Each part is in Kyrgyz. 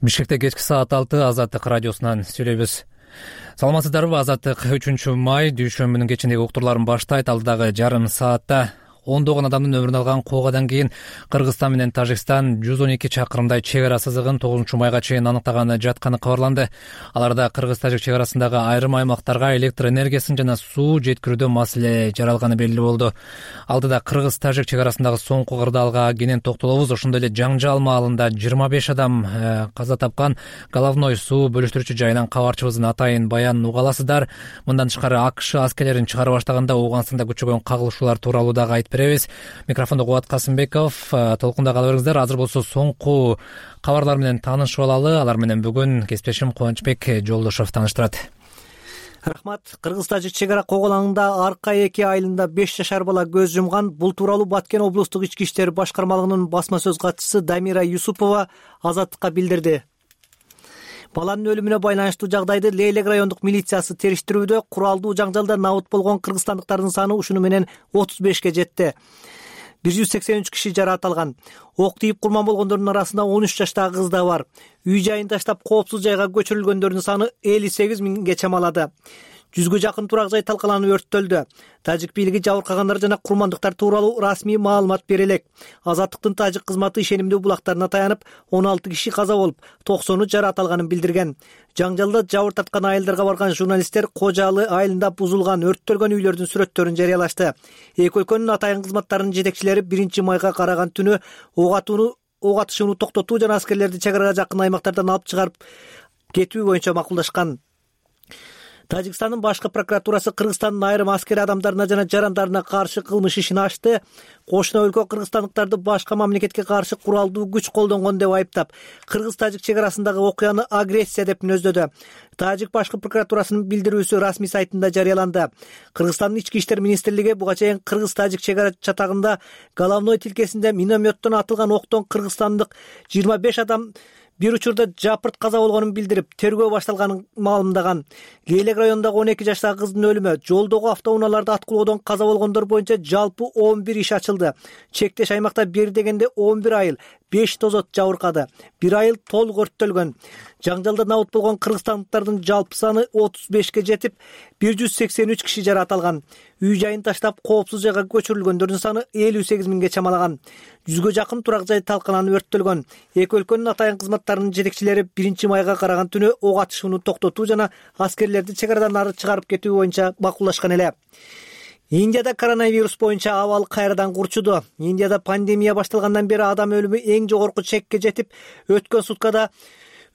Бишкекте кечки саат 6 Азаттык радиосунан сүйлөйбүз. Саламатсыздарбы? Азаттык 3 май дүйшөмбүнүн кечиндеги уктурларын баштайт. Алдыдагы жарым саатта ондогон адамдын өмүрүн алган куугадан кийин Кыргызстан менен Тажикстан 112 чакырымдай чек ара сызыгын 9 майга чейин аныктаганы жатканы кабарланды. Аларда Кыргыз-Тажик чек арасындагы айрым аймактарга электр энергиясын жана суу жеткирүүдө маселе жаралганы белгилүү болду. Алдыда Кыргыз-Тажик чек арасындагы соңку кырдаалга кенен токтолобуз. Ошондой эле жаңжал маалында 25 адам каза тапкан головной суу бөлүштүрүүчү жайынан кабарчыбыздын атайын баянын уга аласыздар. Мындан тышкары АКШ аскерлерин чыгара баштаганда Ооганстанда күчөгөн кагылышуулар тууралуу дагы айтып беребиз. Микрофондо Кубат Касымбеков. Толкунда кала бериңиздер. Азыр болсо соңку кабарлар менен таанышып алалы. Алар менен бүгүн кесиптешим Кубанычбек Жолдошов тааныштырат. Рахмат. Кыргыз-Тажик чек ара коголаңында арка 2 айылында 5 жашар бала көз жумган. Бул тууралуу Баткен облустук ички иштер башкармалыгынын басма сөз катчысы Дамира Юсупова Азаттыкка билдирди. Баланын өлүмүнө байланыштуу жагдайды Лейлек райондук милициясы териштирүүдө. Куралдуу жаңжалда набыт болгон кыргызстандыктардын саны ушуну менен 35ке жетти. 183 киши жараат алган. Ок тийип курман болгондордун арасында 13 жаштагы кыз да бар. Үй жайын таштап коопсуз жайга көчүрүлгөндөрдүн саны 58 миңге чамалады. 100гө жакын турак жай талкаланып өрттөлдү. Тажик бийлиги жабыркагандар жана курмандыктар тууралуу расмий маалымат бере элек. Азаттыктын тажик кызматы ишенимдүү булактарына таянып 16 киши каза болуп, 90 жараат алганын билдирген. Жаңжалда жабыр тарткан айылдарга барган журналисттер Кожалы айылында бузулган, өрттөлгөн үйлөрдүн сүрөттөрүн жарыялашты. Эки өлкөнүн атайын кызматтарынын жетекчилери 1 майга караган түнү ок атышууну токтотуу жана аскерлерди чек арага жакын аймактардан алып чыгарып кетүү боюнча макулдашкан. Тажикстандын башкы прокуратурасы Кыргызстандын айрым аскери адамдарына жана жарандарына каршы кылмыш ишин ачты. Кошуна өлкө кыргызстандыктарды башка мамлекетке каршы куралдуу күч колдонгон деп айыптап, Кыргыз-Тажик чек арасындагы окуяны агрессия деп мүнөздөдү. Тажик башкы прокуратурасынын билдирүүсү расмий сайтында жарыяланды. Кыргызстандын ички иштер министрлиги буга чейин Кыргыз-Тажик чек ара чатагында головной тилкесинде минометтон атылган октон кыргызстандык 25 адам бир учурда жапырт каза болгонун билдирип, тергөө башталганын маалымдаган. Лейлек районундагы 12 жаштагы кыздын өлүмү, жолдогу автоунааларда аткылоодон каза болгондор боюнча жалпы 11 иш ачылды. Чектеш аймакта бир дегенде 11 айыл, 5 тозот жабыркады. Бир айыл толук өрттөлгөн. Жаңжалда набыт болгон кыргызстандыктардын жалпы саны 35ке жетип, 183 киши жараат алган. Үй жайын таштап коопсуз жайга көчүрүлгөндөрдүн саны 58 миңге чамалаган. 100гө жакын турак жай талкаланып өрттөлгөн. Эки өлкөнүн атайын кызматтарынын жетекчилери 1 майга караган түнү ок атышууну токтотуу жана аскерлерди чек арадан ары чыгарып кетүү боюнча макулдашкан эле. Индияда коронавирус боюнча абал кайрадан курчуду. Индияда пандемия башталгандан бери адам өлүмү эң жогорку чекке жетип, өткөн суткада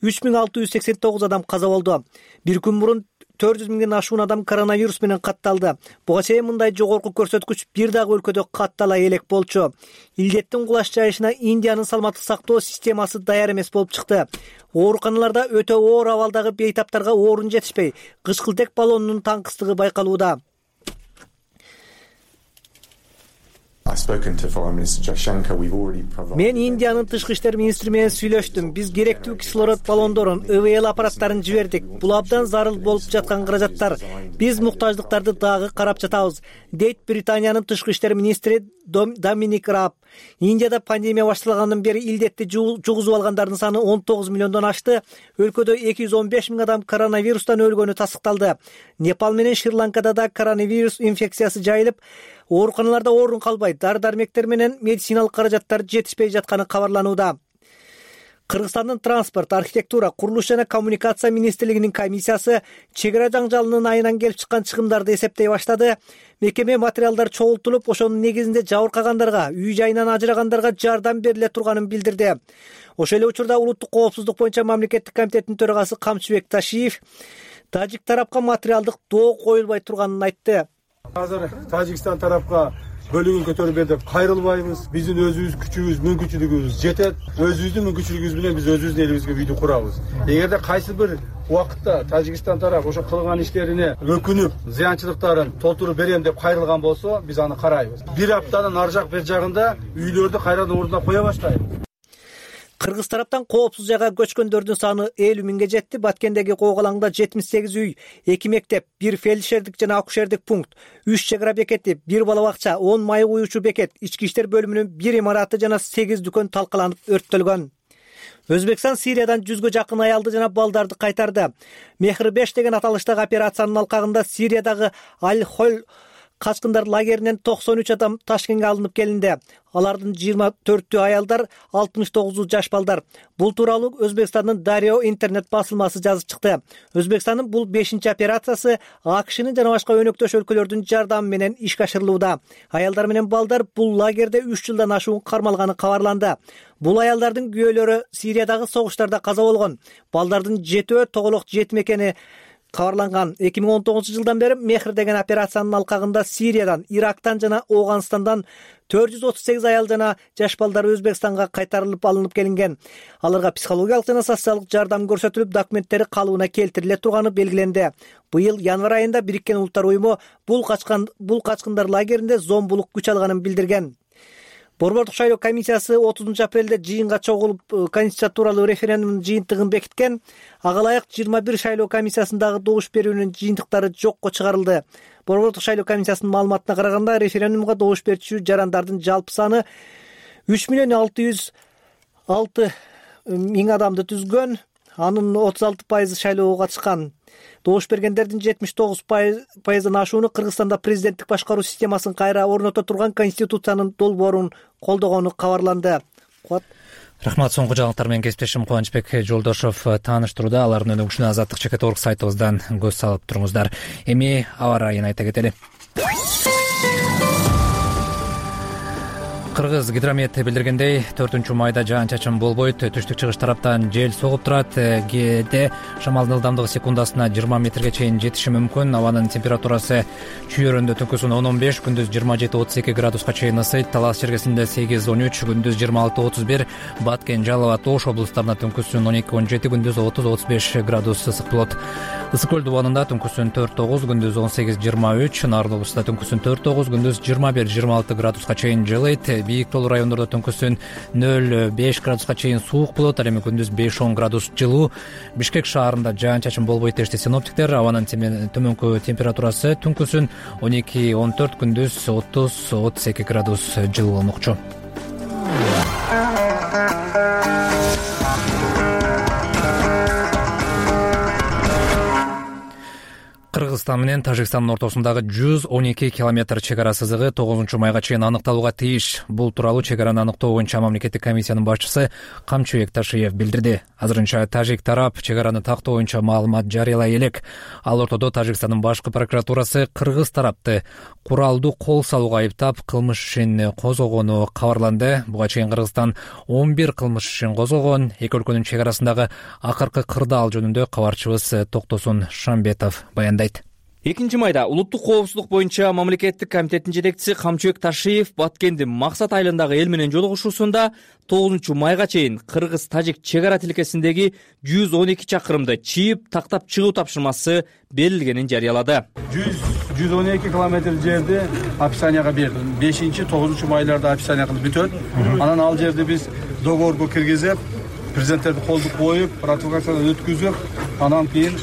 3689 адам каза болду. Бир күн мурун 400 миңден ашуун адам коронавирус менен катталды. Буга чейин мындай жогорку көрсөткүч бир дагы өлкөдө каттала элек болчу. Илдеттин кулаш жайышына Индиянын саламаттык сактоо системасы даяр эмес болуп чыкты. Ооруканаларда өтө оор абалдагы бейтаптарга орун жетишпей, кычкылтек баллонунун таңкыстыгы байкалууда. Мен Индиянын тышкы иштер министри менен сүйлөштүм. Биз керектүү кислород баллондорун, ИВЛ аппараттарын жибердик. Бул абдан зарыл болуп жаткан каражаттар. Биз муктаждыктарды дагы карап жатабыз, дейт Британиянын тышкы иштер министри Доминик Раб. Индияда пандемия башталгандан бери илдетти жугузуп алгандардын саны 19 миллиондон ашты. Өлкөдө 215 миң адам коронавирустан өлгөнү тасыкталды. Непал менен Шри-Ланкада да коронавирус инфекциясы жайылып, ооруканаларда орун калбай, дары-дармектер менен медициналык каражаттар жетишпей жатканы кабарланууда. Кыргызстандын транспорт, архитектура, курулуш жана коммуникация министрлигинин комиссиясы чек ара жаңжалынын айынан келип чыккан чыгымдарды эсептей баштады. Мекеме материалдар чогултулуп, ошонун негизинде жабыркагандарга, үй жайынан ажырагандарга жардам бериле турганын билдирди. Ошол эле учурда улуттук коопсуздук боюнча мамлекеттик комитеттин төрагасы Камчыбек Ташиев тажик тарапка материалдык доо коюлбай турганын айтты. Азыр Тажикстан тарапка бөлүгүн көтөрүп деп кайрылбайбыз. Биздин өзүбүз күчүбүз, мүмкүнчүлүгүбүз жетет. Өзүбүздүн мүмкүнчүлүгүбүз менен биз өзүбүздүн элибизге үйдү курабыз. Эгерде кайсы бир убакытта Тажикстан тарап ошо кылган иштерине өкүнүп, зыянчылыктарын толтуруп берем деп кайрылган болсо, биз аны карайбыз. Бир аптанын ар жак бер жагында үйлөрдү кайрадан ордуна кое баштайбыз. Кыргыз тараптан коопсуз жайга көчкөндөрдүн саны 50 миңге жетти. Баткендеги коголаңда 78 үй, 2 мектеп, 1 фельдшердик жана акушердик пункт, 3 чек ара бекети, 1 бала бакча, 10 майы куюучу бекет, ички иштер бөлүмүнүн 1 имараты жана 8 дүкөн талкаланып өрттөлгөн. Өзбекстан Сириядан 100гө жакын аялды жана балдарды кайтарды. Мехр 5 деген аталыштагы операциянын алкагында Сириядагы Аль-Холь качкындар лагеринен 93 адам Ташкентке алынып келинди. Алардын 24-тү аялдар, 69-у жаш балдар. Бул тууралуу Өзбекстандын Дарио интернет басылмасы жазып чыкты. Өзбекстандын бул 5-чи операциясы АКШнын жана башка өнөктөш өлкөлөрдүн жардамы менен ишке ашырылууда. Аялдар менен балдар бул лагерде 3 жылдан ашуун кармалганы кабарланды. Бул аялдардын күйөөлөрү Сириядагы согуштарда каза болгон. Балдардын 7-өө тоголок жетим экени кабарланган. 2019 жылдан бери Мехр деген операциянын алкагында Сириядан, Ирактан жана Ооганстандан 438 аял жана жаш балдар Өзбекстанга кайтарылып алынып келинген. Аларга психологиялык жана социалдык жардам көрсөтүлүп, документтери калыбына келтириле турганы белгиленди. Быйыл январь айында Бириккен Улуттар уюму бул качкындар лагеринде зомбулук күч алганын билдирген. Борбордук шайлоо комиссиясы 30 апрелде жыйынга чогулуп Конституция тууралуу референдумдун жыйынтыгын бекиткен. Ага ылайык 21 шайлоо комиссиясындагы добуш берүүнүн жыйынтыктары жокко чыгарылды. Борбордук шайлоо комиссиясынын маалыматына караганда, референдумга добуш берүүчү жарандардын жалпы саны 3,606,000 адамды түзгөн. Анын 36% шайлоого катышкан. Добуш бергендердин 79%дан ашууну Кыргызстанда президенттик башкаруу системасын кайра орното турган Конституциянын долбоорун колдогону кабарланды. Рахмат. Соңку жаңылыктар менен кесиптешим Кубанычбек Жолдошов тааныштырууда. Алардын өнүгүшүнө Азаттык.org сайтыбыздан көз салып туруңуздар. Эми аба ырайын айта кетели. Кыргыз гидромет билдиргендей, 4-майда жаан-чачын болбойт, түштүк-чыгыш тараптан жел согуп турат. Кээде шамалдын ылдамдыгы секундасына 20 метрге чейин жетиши мүмкүн. Абанын температурасы чүйөрөндө түнкүсүн 10-15, күндүз 27-32 градуска чейин ысыйт. Талас чергесинде 8-13, күндүз 26-31, Баткен, Жалал абад, Ош облустарына түнкүсүн 12-17, күндүз 30-35 градус ысык болот. Ысык көл дубанында түнкүсүн 4-9, күндүз 18-23, Нарын облустунда түнкүсүн 4-9, күндүз 21-26 градуска чейин жылыйт. Бийик тоолуу райондордо түнкүсүн 0-5 градуска чейин суук болот, ал эми күндүз 5-10 градус жылуу. Бишкек шаарында жаан-чачын болбойт дешти синоптиктер. Абанын төмөнкү температурасы түнкүсүн 12-14, күндүз 30-32 градус жылуу болмокчу. Кыргызстан менен Тажикстандын ортосундагы 112 километр чек ара сызыгы 9-майга чейин аныкталууга тийиш. Бул тууралуу чек араны аныктоо боюнча мамлекеттик комиссиянын башчысы Камчыбек Ташиев билдирди. Азырынча тажик тарап чек араны тактоо боюнча маалымат жарыялай элек. Ал ортодо Тажикстандын башкы прокуратурасы кыргыз тарапты куралдуу кол салууга айыптап кылмыш ишин козгогону кабарланды. Буга чейин Кыргызстан 11 кылмыш ишин козгогон. Эки өлкөнүн чек арасындагы акыркы кырдаал жөнүндө кабарчыбыз Токтосун Шамбетов баяндайт. 2-майда улуттук коопсуздук боюнча мамлекеттик комитеттин жетекчиси Камчыбек Ташиев Баткендин Максат айылындагы эл менен жолугушуусунда 9-майга чейин кыргыз-тажик чек ара тилкесиндеги 112 чакырымды чийип тактап чыгуу тапшырмасы берилгенин жарыялады. 112 километр жерди описанияга бердим. 5-9 айларда описания кылып бүтөт. Анан ал жерди биз договорго киргизип, президенттерди колдук коюп, ратификациядан өткүзүп, анан кийин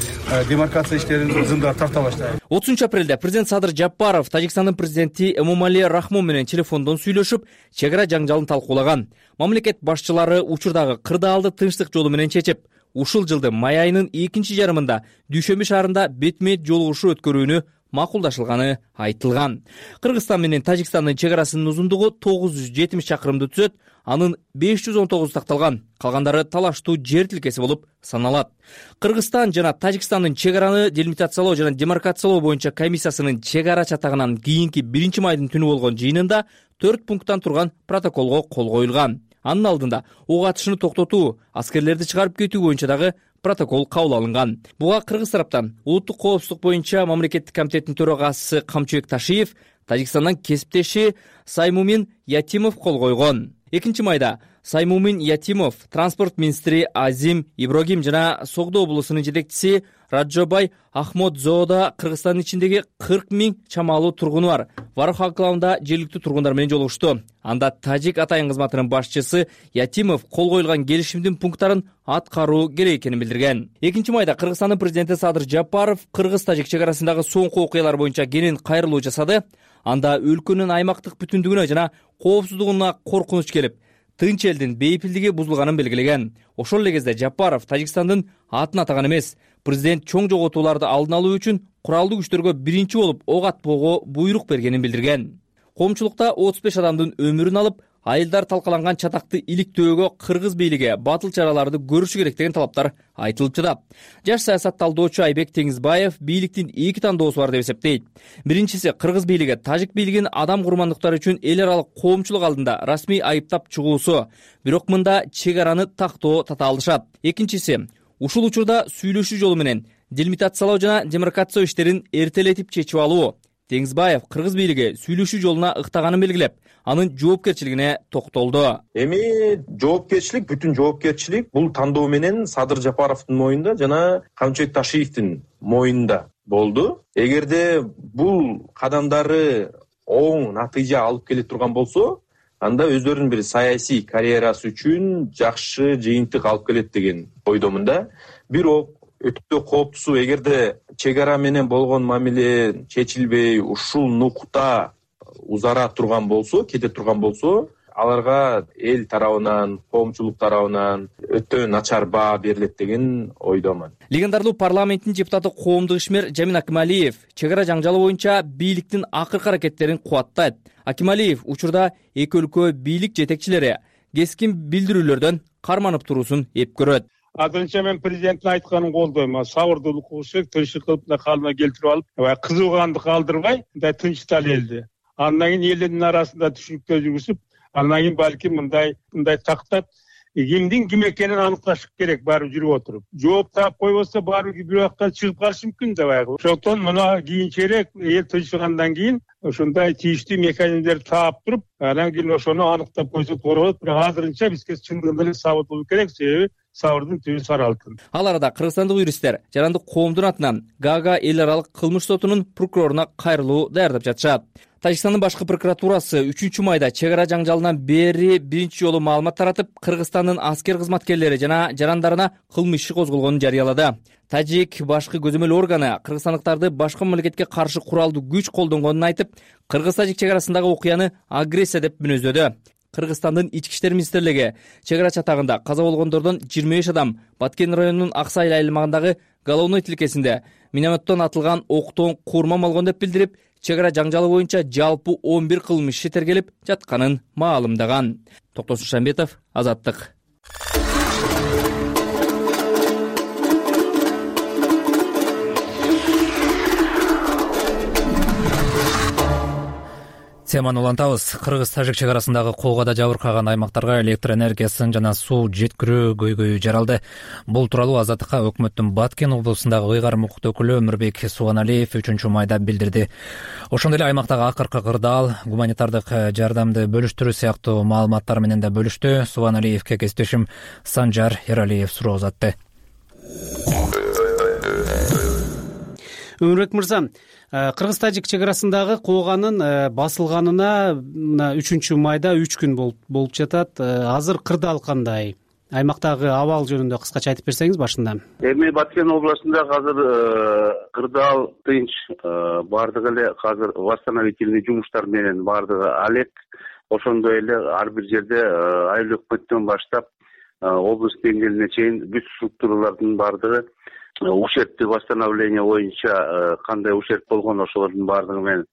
демаркация иштерин зымдар тарта баштайбыз. 30 апрелде президент Садыр Жапаров Тажикстандын президенти Эмомали Рахмон менен телефондон сүйлөшүп, чек ара жаңжалын талкуулаган. Мамлекет башчылары учурдагы кырдаалды тынчтык жолу менен чечип, ушул жылдын май айынын 2 жарымында Дүйшөмбү шаарында бетме-бет жолугушуу өткөрүүнү макулдашылганы айтылган. Кыргызстан менен Тажикстандын чек арасынын узундугу 970 чакырымды түзөт, анын 519 такталган, калгандары талаштуу жер тилкеси болуп саналат. Кыргызстан жана Тажикстандын чек араны делимитациялоо жана демаркациялоо боюнча комиссиясынын чек ара чатагынан кийинки 1-майдын түнү болгон жыйынында 4 пункттан турган протоколго кол коюлган. Анын алдында ок атышны токтотуу, аскерлерди чыгарып кетүү боюнча дагы протокол кабыл алынган. Буга кыргыз тараптан улуттук коопсуздук боюнча мамлекеттик комитеттин төрагасы Камчыбек Ташиев, Тажикстандан кесиптеши Саймумин Ятимов кол койгон. 2-майда Саймумин Ятимов, транспорт министри Азим Иброгим жана Согдо облусунун жетекчиси Раджобай Ахмодзоода Кыргызстандын ичиндеги 40 000 чамалуу тургуну бар Варох анклавында жергиликтүү тургундар менен жолугушту. Анда тажик атайын кызматынын башчысы Ятимов кол коюлган келишимдин пункттарын аткаруу керек экенин билдирген. 2-майда Кыргызстандын президенти Садыр Жапаров кыргыз-тажик чек арасындагы соңку окуялар боюнча кенен кайрылуу жасады. Анда өлкөнүн аймактык бүтүндүгүнө жана коопсуздугуна коркунуч келип, тынч элдин бейпилдиги бузулганын белгилеген. Ошол эле кезде Жапаров Тажикстандын атын атаган эмес. Президент чоң жоготууларды алдын алуу үчүн куралдуу күчтөргө биринчи болуп ок атпоого буйрук бергенин билдирген. Коомчулукта 35 адамдын өмүрүн алып, айылдар талкаланган чатакты иликтөөгө кыргыз бийлиги батыл чараларды көрүшү керек деген талаптар айтылып жатат. Жаш саясат талдоочу Айбек Теңизбаев бийликтин эки тандоосу бар деп эсептейт. Биринчиси, кыргыз бийлиги тажик бийлигин адам курмандыктары үчүн эл аралык коомчулук алдында расмий айыптап чыгуусу, бирок мында чек араны тактоо татаалдашат. Экинчиси, ушул учурда сүйлөшүү жолу менен делимитациялоо жана демаркация иштерин эртелетип чечип алуу. Теңизбаев кыргыз бийлиги сүйлөшүү жолуна ыктаганын белгилеп, анын жоопкерчилигине токтолду. Эми жоопкерчилик, бүтүн жоопкерчилик бул тандоо менен Садыр Жапаровдун мойнунда жана Камчыбек Ташиевдин мойнунда болду. Эгерде бул кадамдары оң натыйжа алып келе турган болсо, анда өздөрүнүн бир саясий карьерасы үчүн жакшы жыйынтык алып келет деген ойдомун да. Бирок өтө кооптусу, эгерде чек ара менен болгон мамиле чечилбей, ушул нукта узара турган болсо, кете турган болсо, аларга эл тарабынан, коомчулук тарабынан өтө начар баа берилет деген ойдомун. Легендарлуу парламенттин депутаты коомдук ишмер Жамин Акималиев чек ара жаңжалы боюнча бийликтин акыркы аракеттерин кубаттайт. Акималиев учурда эки өлкө бийлик жетекчилери кескин билдирүүлөрдөн карманып туруусун эп көрөт. Азырынча мен президенттин айтканын колдойм. Сабырдуулук кылыш керек, тынчтык кылып калыбына келтирип алып, кызууганды калтырбай, мындай тынчтал элди. Андан кийин элдин арасында түшүнүктөр жүргүзүп, андан кийин балким мындай тактап кимдин ким экенин аныкташ керек, баары жүрүп отуруп. Жооп таап койбосо баары бир убакта чыгып калышы мүмкүн да баягы. Ошондон мына кийинчерээк эл тынчыгандан кийин ошондой тийиштүү механизмдерди таап туруп, анан кийин ошону аныктап койсок болот болот. Бирок азырынча бизге чындыгында эле сабыр болуу керек, себеби сабырдын түбү сары алтын. Ал арада кыргызстандык юристтер жарандык коомдун атынан Гага эл аралык кылмыш сотунун прокуроруна кайрылуу даярдап жатышат. Тажикстандын башкы прокуратурасы 3-майда чек ара жаңжалынан бери биринчи жолу маалымат таратып, Кыргызстандын аскер кызматкерлери жана жарандарына кылмыш иши козголгонун жарыялады. Тажик башкы көзөмөл органы кыргызстандыктарды башка мамлекетке каршы куралдуу күч колдонгонун айтып, Кыргыз-Тажик чек арасындагы окуяны агрессия деп мүнөздөдү. Кыргызстандын ички иштер министрлиги чек ара чатагында каза болгондордон 25 адам Баткен районунун Аксай аймагындагы Головной тилкесинде минометтон атылган октон курман алгон деп билдирип, чек ара жаңжалы боюнча жалпы 11 кылмыш иши тергелип жатканын маалымдаган. Токтосун Шамбетов, Азаттык. Теманы улантабыз. Кыргыз-Тажик чек арасындагы колгода жабыркаган аймактарга электр энергиясын жана суу жеткирүү көйгөйү жаралды. Бул тууралуу Азаттыкка өкмөттүн Баткен облусундагы ыйгарым укук өкүлү Өмүрбек Субаналиев 3-майда билдирди. Ошондой эле аймактагы акыркы кырдаал, гуманитардык жардамды бөлүштүрүү сыяктуу маалыматтар менен да бөлүштү. Субаналиевке кесиптешим Санжар Эралиев суроо узатты. Өмүрбек мырза, Кыргыз-Тажик чек арасындагы кооганын басылганына 3-майда 3 күн болуп жатат. Азыр кырдаал кандай? Аймактагы абал жөнүндө кыскача айтып берсеңиз башында. Эми Баткен областында азыр кырдаал тынч, бардыгы эле азыр восстановительный жумуштар менен бардыгы алек. Ошондой эле ар бир жерде айыл өкмөттөн баштап облус деңгээлине чейин бүт структуралардын бардыгы ушербти восстановление боюнча кандай ушерб болгон ошолордун баардыгы менен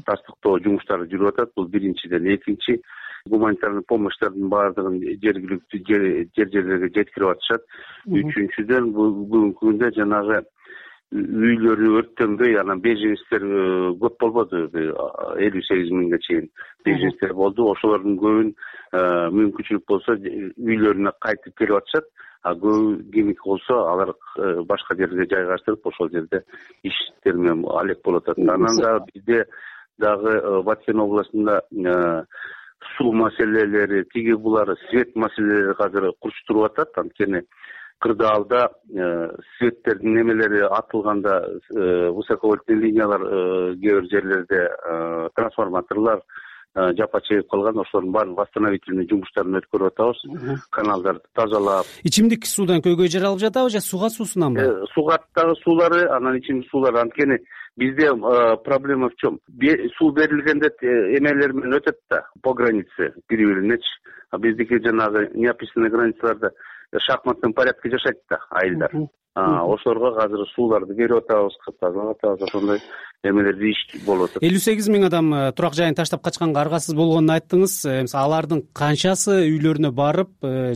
тастыктоо жумуштары жүрүп атат. Бул биринчиден. Экинчи, гуманитарный помощьтардын баардыгын жергиликтүү жерлерге жеткирип атышат. Үчүнчүдөн, бүгүнкү күндө жанагы үйлөрү өрттөнбөй, анан беженецтер көп болбоду, 58 миңге чейин беженецтер болду. Ошолордун көбүн мүмкүнчүлүк болсо үйлөрүнө кайтып келип атышат. Көбү кимики болсо алар башка жерге жайгаштырып, ошол жерде иштер менен алек болуп атат. Анан да бизде дагы Баткен областында суу маселелери, тиги булар свет маселелери азыр курчтуруп атат. Анткени кырдаалда светтердин немелери атылганда высоковольтный линиялар кээ бир жерлерде трансформаторлор жапа чегип калган. Ошолордун баарын восстановительный жумуштарын өткөрүп атабыз. Каналдарды тазалап. Ичимдик суудан көйгөй жаралып жатабы же суга суусунанбы? Сугаттагы суулары, анан ичимдик суулар, анткени Бизде проблема в чем? Суу берилгенде эмелер менен өтөт да по границе бири-биринечи. А биздики жанагы неописанный границаларда шахматный порядке жашайт да айылдар. Ошолорго азыр сууларды берип атабыз, тазалап атабыз, ошондой эмелерди иш болуп атат. 58 миң адам турак жайын таштап качканга аргасыз болгонун айттыңыз. Алардын канчасы үйлөрүнө барып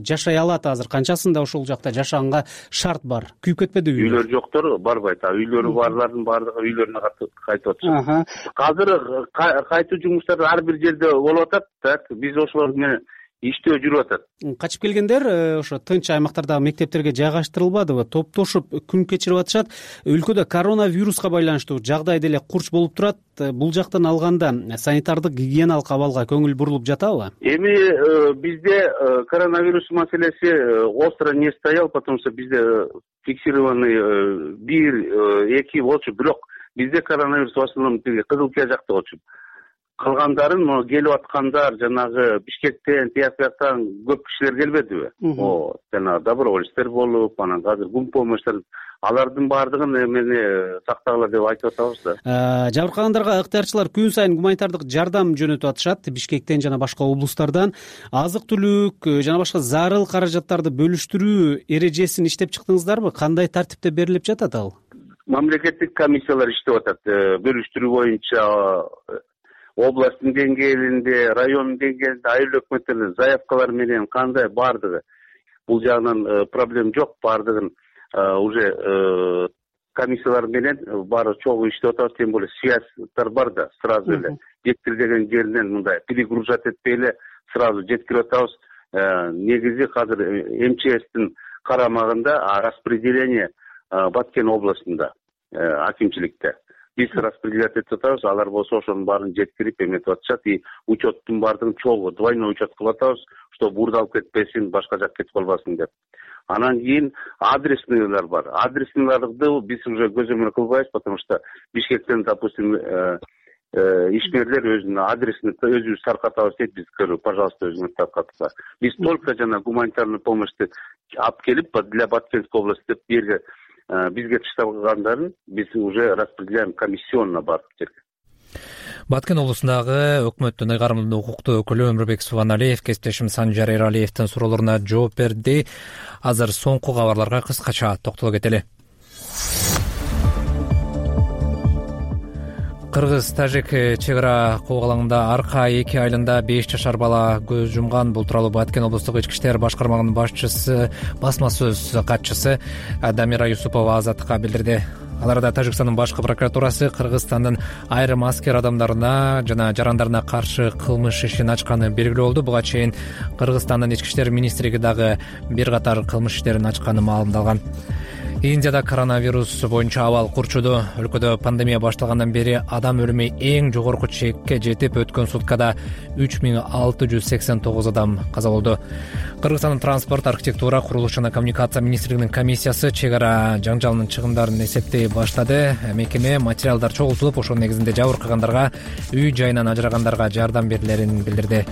жашай алат азыр? Канчасында ошол жакта жашаганга шарт бар? Күйүп кетпедиби? Үйлөр жоктор барбайт. Үйлөрү барлардын баардыгы үйлөрүнө кайтып атышат. Азыр кайтуу жумуштары ар бир жерде болуп атат. Так, биз ошолор менен иштөө жүрүп атат. Качып келгендер ошо тынч аймактардагы мектептерге жайгаштырылбадыбы? Топтошуп күн кечирип атышат. Өлкөдө коронавируска байланыштуу жагдай деле курч болуп турат. Бул жактан алганда санитардык гигиеналык абалга көңүл бурулуп жатабы? Эми бизде коронавирус маселеси остро не стоял, потому что бизде фиксированный 1-2 болчу, бирок бизде коронавирус в основном Кызылкия жакта болчу. Калгандарын келип аткандар жанагы Бишкектен, тияктан көп кишилер келбедиби? Жанагы добровольцтер болуп, анан азыр гумпомощтор, алардын баардыгын эмени сактагыла деп айтып атабыз да. Жабыркагандарга ыктыярчылар күн сайын гуманитардык жардам жөнөтүп атышат. Бишкектен жана башка облустардан азык-түлүк жана башка зарыл каражаттарды бөлүштүрүү эрежесин иштеп чыктыңыздарбы? Кандай тартипте берилип жатат ал? Мамлекеттик комиссиялар иштеп атат. Бөлүштүрүү боюнча областтын деңгээлинде, райондун деңгээлинде айыл өкмөттөрдөн заявкалар менен кандай баардыгы. Бул жагынан проблем жок, баардыгын уже комиссиялар менен баары чогуу иштеп атабыз, тем более связьтар бар да, сразу эле жеткирилген жеринен мындай перегружать этпей эле сразу жеткирип атабыз. Негизи азыр МЧСтин карамагында распределение Баткен областында акимчиликте. Биз распределять этип атабыз, алар болсо ошонун баарын жеткирип эметип атышат. И учеттун баардыгын чогуу двойной учет кылып атабыз, чтобы урдалып кетпесин, башка жакка кетип калбасын деп. Анан кийин адресныйлар бар. Адресныйларды биз уже көзөмөл кылбайбыз, потому что Бишкектен, допустим, ишмерлер өзүнүн адресин өзүбүз таркатабыз дейт, биз пожалуйста өзүңүз таркатыңыздар. Биз только жана гуманитарный помощьты алып келип для Баткенской области деп берге бизге ташталгандарын биз уже распределяем комиссионно барып жерге. Баткен облусундагы өкмөттүн ыйгарымдуу укуктуу өкүлү Өмүрбек Субаналиев кесиптешим Санжар Эралиевдин суроолоруна жооп берди. Азыр соңку кабарларга кыскача токтоло кетели. Кыргыз-Тажик чек ара коогалаңында арка 2 айылында 5 жашар бала көз жумган. Бул тууралуу Баткен облустук ички иштер башкармагынын башчысы, басма сөз катчысы Дамира Юсупова Азаттыкка билдирди. Аларда Тажикстандын башкы прокуратурасы Кыргызстандын айрым аскер адамдарына жана жарандарына каршы кылмыш ишин ачканы белгилүү болду. Буга чейин Кыргызстандын ички иштер министрлиги дагы бир катар кылмыш иштерин ачканы маалымдалган. Индияда коронавирус боюнча абал курчуду. Өлкөдө пандемия башталгандан бери адам өлүмү эң жогорку чекке жетип, өткөн суткада 3689 адам каза болду. Кыргызстандын транспорт, архитектура, курулуш жана коммуникация министрлигинин комиссиясы чек ара жаңжалынын чыгымдарын эсептей баштады. Мекеме материалдар чогултулуп, ошонун негизинде жабыркагандарга, үй жайынан ажырагандарга жардам берилерин билдирди.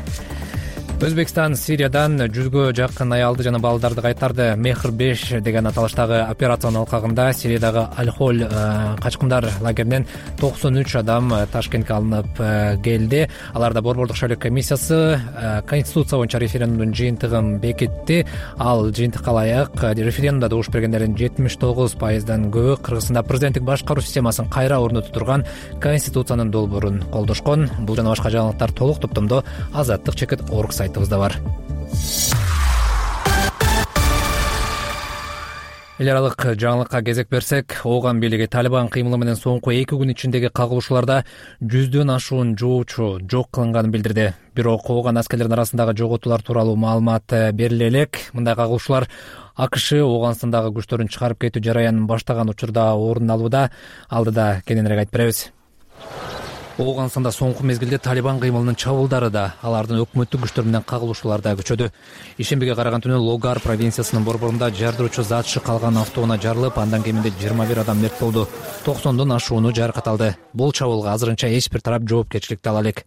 Өзбекстан Сириядан 100гө жакын аялды жана балдарды кайтарды. Мехр 5 деген аталыштагы операциянын алкагында Сириядагы Аль-Холь качкындар лагеринен 93 адам Ташкентке алынып келди. Аларда Борбордук шайлоо комиссиясы конституция боюнча референдумдун жыйынтыгын бекитти. Ал жыйынтыкка ылайык референдумда добуш бергендердин 79%дан көбү Кыргызстанда президенттик башкаруу системасын кайра орнотуп турган конституциянын долбоорун колдошкон. Бул жана башка жаңылыктар толук топтомдо Азаттык чекит орг сайтыбызда бар. Эл аралык жаңылыкка кезек берсек, Ооган бийлиги Талибан кыймылы менен соңку 2 күн ичиндеги кагылышууларда 100дөн ашуун жоочу жок кылынганын билдирди. Бирок Ооган аскерлеринин арасындагы жоготуулар тууралуу маалымат бериле элек. Мындай кагылышуулар АКШ Ооганстандагы күчтөрүн чыгарып кетүү жараянын баштаган учурда орун алууда. Алдыда кененирээк айтып беребиз. Ооганстанда соңку мезгилде Талибан кыймылынын чабуулдары да, алардын өкмөттүк күчтөр менен кагылышуулар да күчөдү. Ишембиге караган түнү Логар провинциясынын борборунда жардыруучу зат калган автоунаа жарылып, андан кеминде 21 адам мерт болду. 90дон ашууну жаракат алды. Бул чабуулга азырынча эч бир тарап жоопкерчиликти ала элек.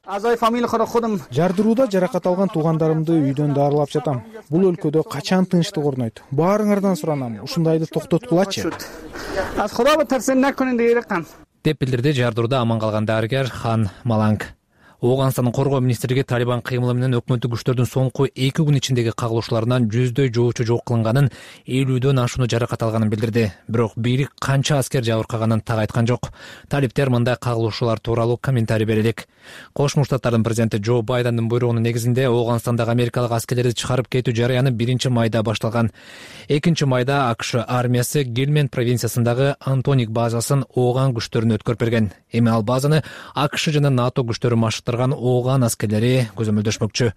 Жардырууда жаракат алган туугандарымды үйдөн дарылап жатам. Бул өлкөдө качан тынчтык орнойт? Баарыңардан суранам, ушундайды токтоткулачы. деп билдирди жардырууда аман калган дарыгер Хан Маланг. Ооганстандын коргоо министрлиги Талибан кыймылы менен өкмөттүк күчтөрдүн соңку 2 күн ичиндеги кагылышууларынан 100дөй жоочу жок кылынганын, 50дөн ашууну жаракат алганын билдирди. Бирок бийлик канча аскер жабыркаганын так айткан жок. Талиптер мындай кагылышуулар тууралуу комментарий берелик. Кошмо Штаттардын президенти Джо Байдендин буйругунун негизинде Ооганстандагы америкалык аскерлерди чыгарып кетүү жарыяны 1-майда башталган. 2-майда АКШ армиясы Гельманд провинциясындагы Антоник базасын Ооган күчтөрүнө өткөрүп берген. Эми ал базаны АКШ жана НАТО күчтөрү машыктырган Ооган аскерлери көзөмөлдөшмөкчү.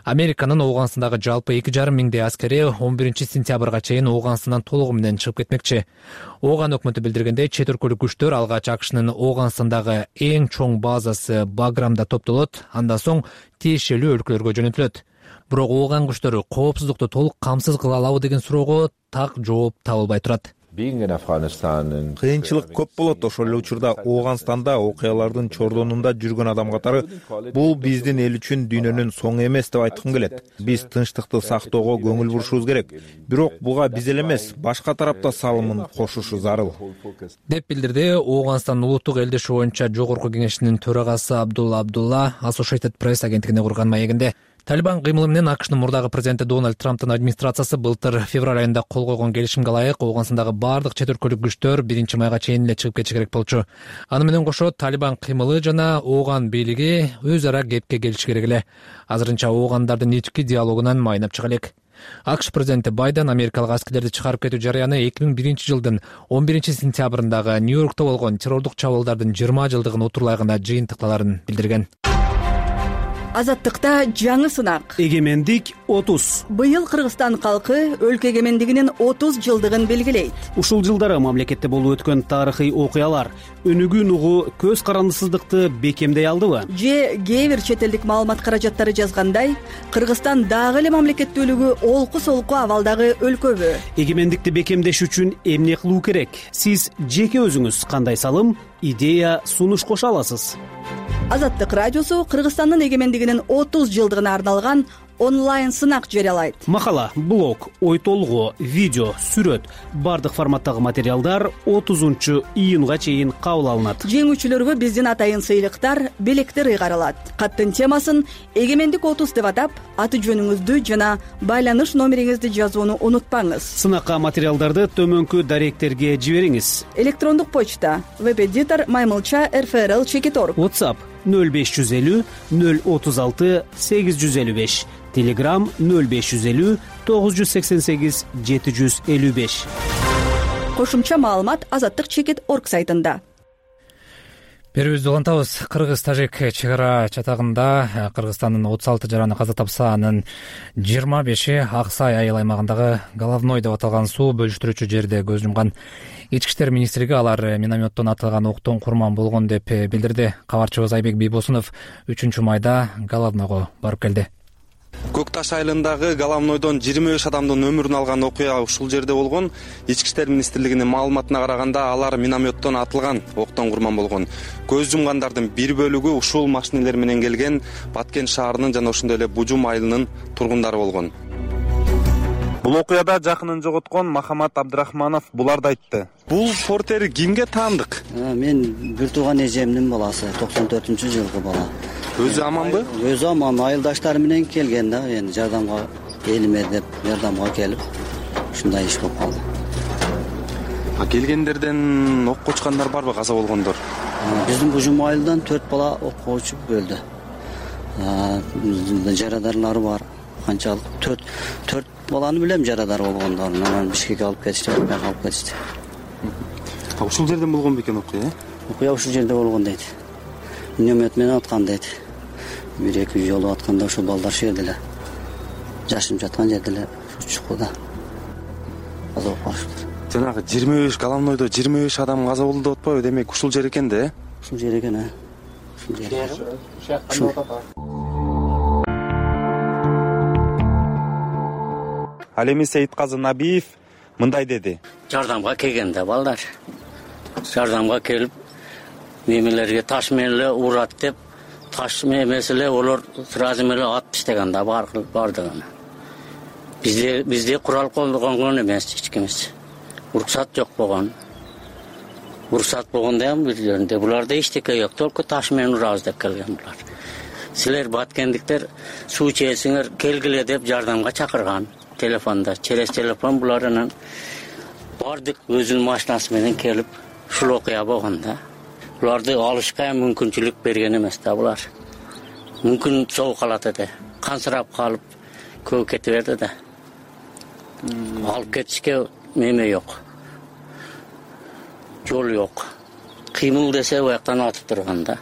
Американын Ооганстандагы жалпы 2,5 миңдей аскери 11-сентябрга чейин Ооганстандан толугу менен чыгып кетмекчи. Ооган өкмөтү билдиргендей, чет өлкөлүк күчтөр алгач АКШнын Ооганстандагы эң чоң базасы Баграмда топтолот, андан соң тиешелүү өлкөлөргө жөнөтүлөт. Бирок Ооган күчтөрү коопсуздукту толук камсыз кыла алабы деген суроого так жооп табылбай турат. Кыйынчылык көп болот. Ошол эле учурда Ооганстанда окуялардын чордонунда жүргөн адам катары бул биздин эл үчүн дүйнөнүн соңу эмес деп айткым келет. Биз тынчтыкты сактоого көңүл бурушубуз керек. Бирок буга биз эле эмес, башка тарапта салымын кошушу зарыл, деп билдирди Ооганстан улуттук элдеши боюнча жогорку кеңешинин төрагасы Абдулла Associated Press агенттигине курган маегинде. Талибан кыймылы менен АКШнын мурдагы президенти Дональд Трамптын администрациясы былтыр февраль айында кол койгон келишимге ылайык Ооганстандагы бардык чет өлкөлүк күчтөр 1-майга чейин эле чыгып кетиши керек болчу. Аны менен кошо Талибан кыймылы жана Ооган бийлиги өз ара кепке келиши керек эле. Азырынча Оогандардын ички диалогунан майнап чыга элек. АКШ президенти Байден америкалык аскерлерди чыгарып кетүү жарыяны 2001-жылдын 11-сентябрындагы Нью-Йоркто болгон террордук чабуулдардын 20 жылдыгын утурлагында жыйынтыкталарын билдирген. Азаттыкта жаңы сынак. Эгемендик 30. Быйыл Кыргызстан калкы өлкө эгемендигинин 30 жылдыгын белгилейт. Ушул жылдары мамлекетте болуп өткөн тарыхый окуялар өнүгүү нугу көз карандысыздыкты бекемдей алдыбы? Же кээ бир чет элдик маалымат каражаттары жазгандай, Кыргызстан дагы эле мамлекеттүүлүгү олку-солку абалдагы өлкөбү? Эгемендикти бекемдеш үчүн эмне кылуу керек? Сиз жеке өзүңүз кандай салым, идея, сунуш кошо аласыз? Азаттык радиосу Кыргызстандын эгемендигинин 30 жылдыгына арналган онлайн сынак жарыялайт. Макала, блог, ой толгоо, видео, сүрөт, бардык форматтагы материалдар 30-июнга чейин кабыл алынат. Жеңүүчүлөргө биздин атайын сыйлыктар, белектер ыйгарылат. Каттын темасын Эгемендик 30 деп атап, аты жөнүңүздү жана байланыш номериңизди жазууну унутпаңыз. Сынакка материалдарды төмөнкү даректерге жибериңиз. Электрондук почта: web-editor maymulcha@rfrl.org. WhatsApp 0550 036 855. Telegram 0550 988 755. Кошумча маалымат azattik.org сайтында. Берүүбүздү улантабыз. Кыргыз-тажик чек ара чатагында Кыргызстандын 36 жараны каза тапса, анын 25-и Аксай айыл аймагындагы Головной деп аталган суу бөлүштүрүүчү жерде көз жумган. Ички иштер министрлиги алар минометтон атылган октон курман болгон деп билдирди. Кабарчыбыз Айбек Бийбосунов 3-майда Головнойго барып келди. Көк Таш айылындагы Головнойдон 25 адамдын өмүрүн алган окуя ушул жерде болгон. Ички иштер министрлигинин маалыматына караганда, алар минометтон атылган октон курман болгон. Көз жумгандардын бир бөлүгү ушул машинелер менен келген Баткен шаарынын жана ошондой эле Бужум айылынын тургундары болгон. Бул окуяда жакынын жоготкон Махамат Абдрахманов буларды айтты. Бул портер кимге таандык? Мен бир тууган эжемдин баласы, 94-жылкы бала. Өзү аманбы? Өзү аман, айылдаштары менен келген да, эми жардамга келиме деп жардамга келип, ушундай иш болуп калды. Келгендерден ок кочкандар барбы, каза болгондор? Биздин Бужум айылдан 4 бала окко учуп өлдү. Жарадарлары бар. Канчалык 4 баланы билем жарадар болгондорун. Анан Бишкекке алып кетишти, алып кетишти. Ушул жерде болгон бекен окуя? Окуя ушул жерде болгон дейт. Миномет менен аткан дейт. 1-2 жолу атканда ошол балдар шу жерде эле жашынып жаткан жерде эле чукуда каза болуп калышыптыр. Жанагы 25 Головнойдо 25 адам каза болду деп атпайбы? Демек ушул жер экен да? Ушул жер экен, Ушул жер. Ал эми Сейитказы Набиев мындай деди. Жардамга келген да балдар. Жардамга келип, немелерге таш менен эле урат деп, таш эмес эле олар сразу эле ат иштеген да бардыгын. Бизде курал колдонгон эмес, эч кимис. Уруксат жок болгон. уруксат болгондо ham бир жеринде буларда эчтеке жок, только таш менен урабыз деп келген булар. Силер баткендиктер суу ичесиңер келгиле деп жардамга чакырган. Телефонда, через телефон булар анан бардык өзүнүн машинасы менен келип ушул окуя болгондо. Буларды алышка мүмкүнчүлүк берген эмес да булар. Мүмкүн соо калат эди. Кансырап калып көп кете берди да. Алып кетишке неме жок. Жол жок. Кыймыл десе бияктан атып турган да.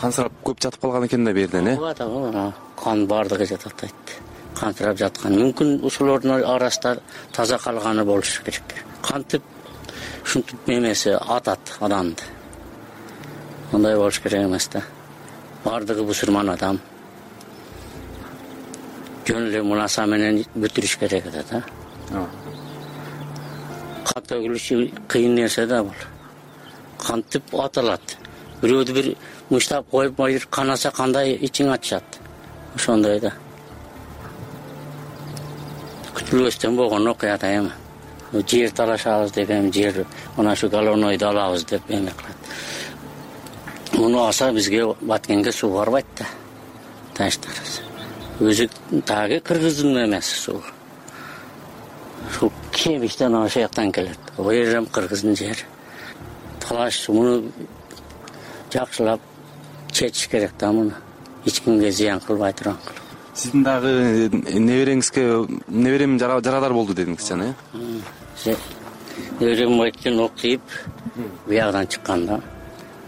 Кансырап көп жатып калган экен да берден, Кан бардыгы жатат айтты. Кантырап жаткан. Мүмкүн ушулордун арасында таза калганы болушу керек. Кантип ушинтип немеси атат адамды. Андай болуш керек эмес да. Бардыгы бусурман адам. Жөн эле мунаса менен бүтүрүш керек да. Кан төгүлүшү кыйын нерсе да бул. Кантип аталат. Бирөөдү бир муштап коюп майыр канаса кандай ичиң ачышат. Ошондой да. Күтүлбөстөн болгон окуя да эми. Жер талашабыз деген жер, мына ушу головнойду алабыз деп эме кылат. Муну алса бизге Баткенге суу барбайт да. Таштарыз. Өзү тагы кыргыздын эмес суу. Ушул Кемиштен ошол жактан келет. Ал жерем кыргыздын жери. Талаш муну жакшылап чечиш керек да муну. Эч кимге зыян кылбай турган кылып. Сиздин дагы неберем жарадар болду дедиңиз жана, Неберем өткөн окуйп биягдан чыккан да.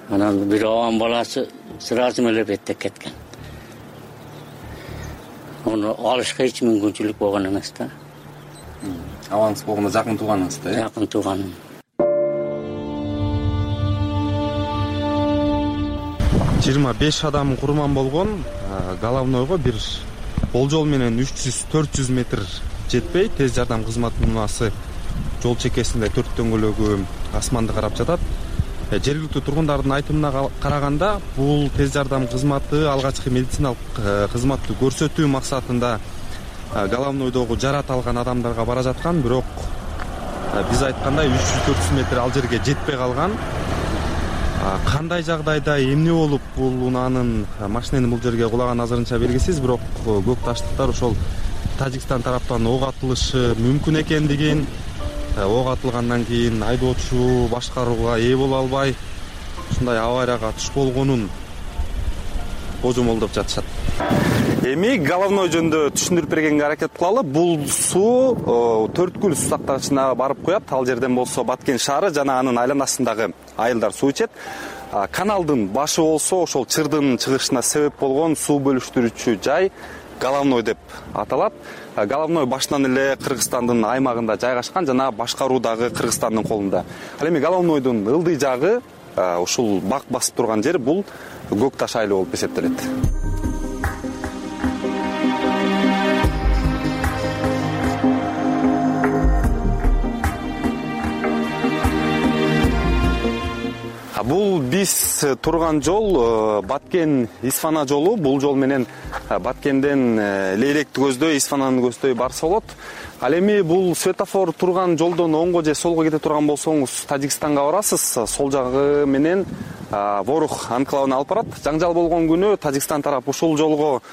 Анан бир абан баласы сразу эле беттеп кеткен. Ону алышка эч мүмкүнчүлүк болгон эмес да. Абаңыз болгондо жакын тууганыңыз да? Жакын тууганым. 25 адам курман болгон. Головнойго бир болжол менен 300-400 метр жетпей тез жардам кызматынасы жол чекесинде 4 дөңгөлөгү асманды карап жатат. Жергиликтүү тургундардын айтымына караганда, бул тез жардам кызматы алгачкы медициналык кызматты көрсөтүү максатында головнойдогу жарат алган адамдарга бара жаткан, бирок биз айткандай 300-400 метр ал жерге жетпей калган. Кандай жагдайда эмне болуп бул унаанын машиненин бул жерге кулаган азырынча белгисиз, бирок көк таштыктар ошол Тажикстан тараптан ок атылышы мүмкүн экендигин, ок атылгандан кийин айдоочу башкарууга ээ боло албай ушундай аварияга туш болгонун божомолдоп жатышат. Эми головной жөнүндө түшүндүрүп бергенге аракет кылалы. Бул суу Төрткүл суу сактагычына барып куят. Ал жерден болсо Баткен шаары жана анын айланасындагы айылдар суу ичет. Каналдын башы болсо ошол чырдын чыгышына себеп болгон суу бөлүштүрүүчү жай головной деп аталат. Головной башынан эле Кыргызстандын аймагында жайгашкан жана башкаруу дагы Кыргызстандын колунда. Ал эми головнойдун ылдый жагы ушул бак басып турган жер бул Көк Таш айылы болуп эсептелет. Бул биз турган жол Баткен Исфана жолу. Бул жол менен Баткенден Лейлекти көздөй, Исфананы көздөй барса болот. Ал эми бул светофор турган жолдон оңго же солго кете турган болсоңуз Тажикстанга барасыз. Сол жагы менен Ворух анклавына алып барат. Жаңжал болгон күнү Тажикстан тарап ушул жолго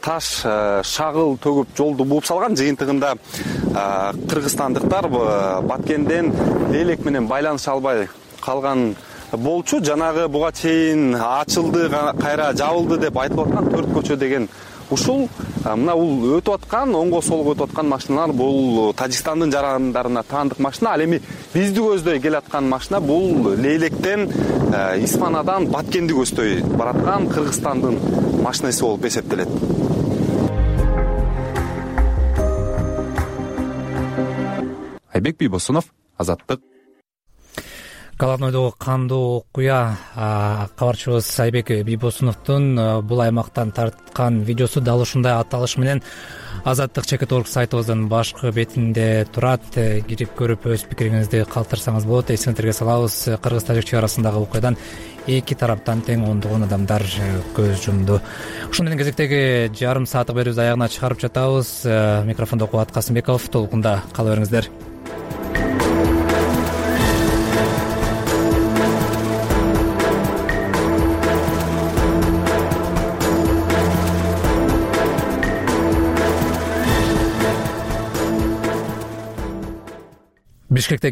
таш, шагыл төгүп жолду бууп салган. Жыйынтыгында кыргызстандыктар Баткенден Лейлек менен байланыша албай калган болчу. Жанагы буга чейин ачылды, кайра жабылды деп айтылып аткан 4 көчө деген ушул мына бул өтүп аткан, оңго солго өтүп аткан машиналар бул Тажикстандын жарандарына таандык машина. Ал эми бизди көздөй келаткан машина бул Лейлектен Исфанадан Баткенди көздөй бараткан Кыргызстандын машинасы болуп эсептелет. Айбек Бийбосунов, Азаттык. Головнойдогу кандуу окуя кабарчыбыз Айбек Бийбосуновдун бул аймактан тарткан видеосу дал ушундай аталыш менен Азаттык чекит.орг сайтыбыздын башкы бетинде турат. Кирип көрүп өз пикириңизди калтырсаңыз болот. Эсиңизерге салабыз, кыргыз-тажик чек арасындагы окуядан эки тараптан тең ондогон адамдар көз жумду. Ушун менен кезектеги жарым сааттык берүүбүздү аягына чыгарып жатабыз. Микрофондо Кубат Касымбеков, толкунда кала бериңиздер.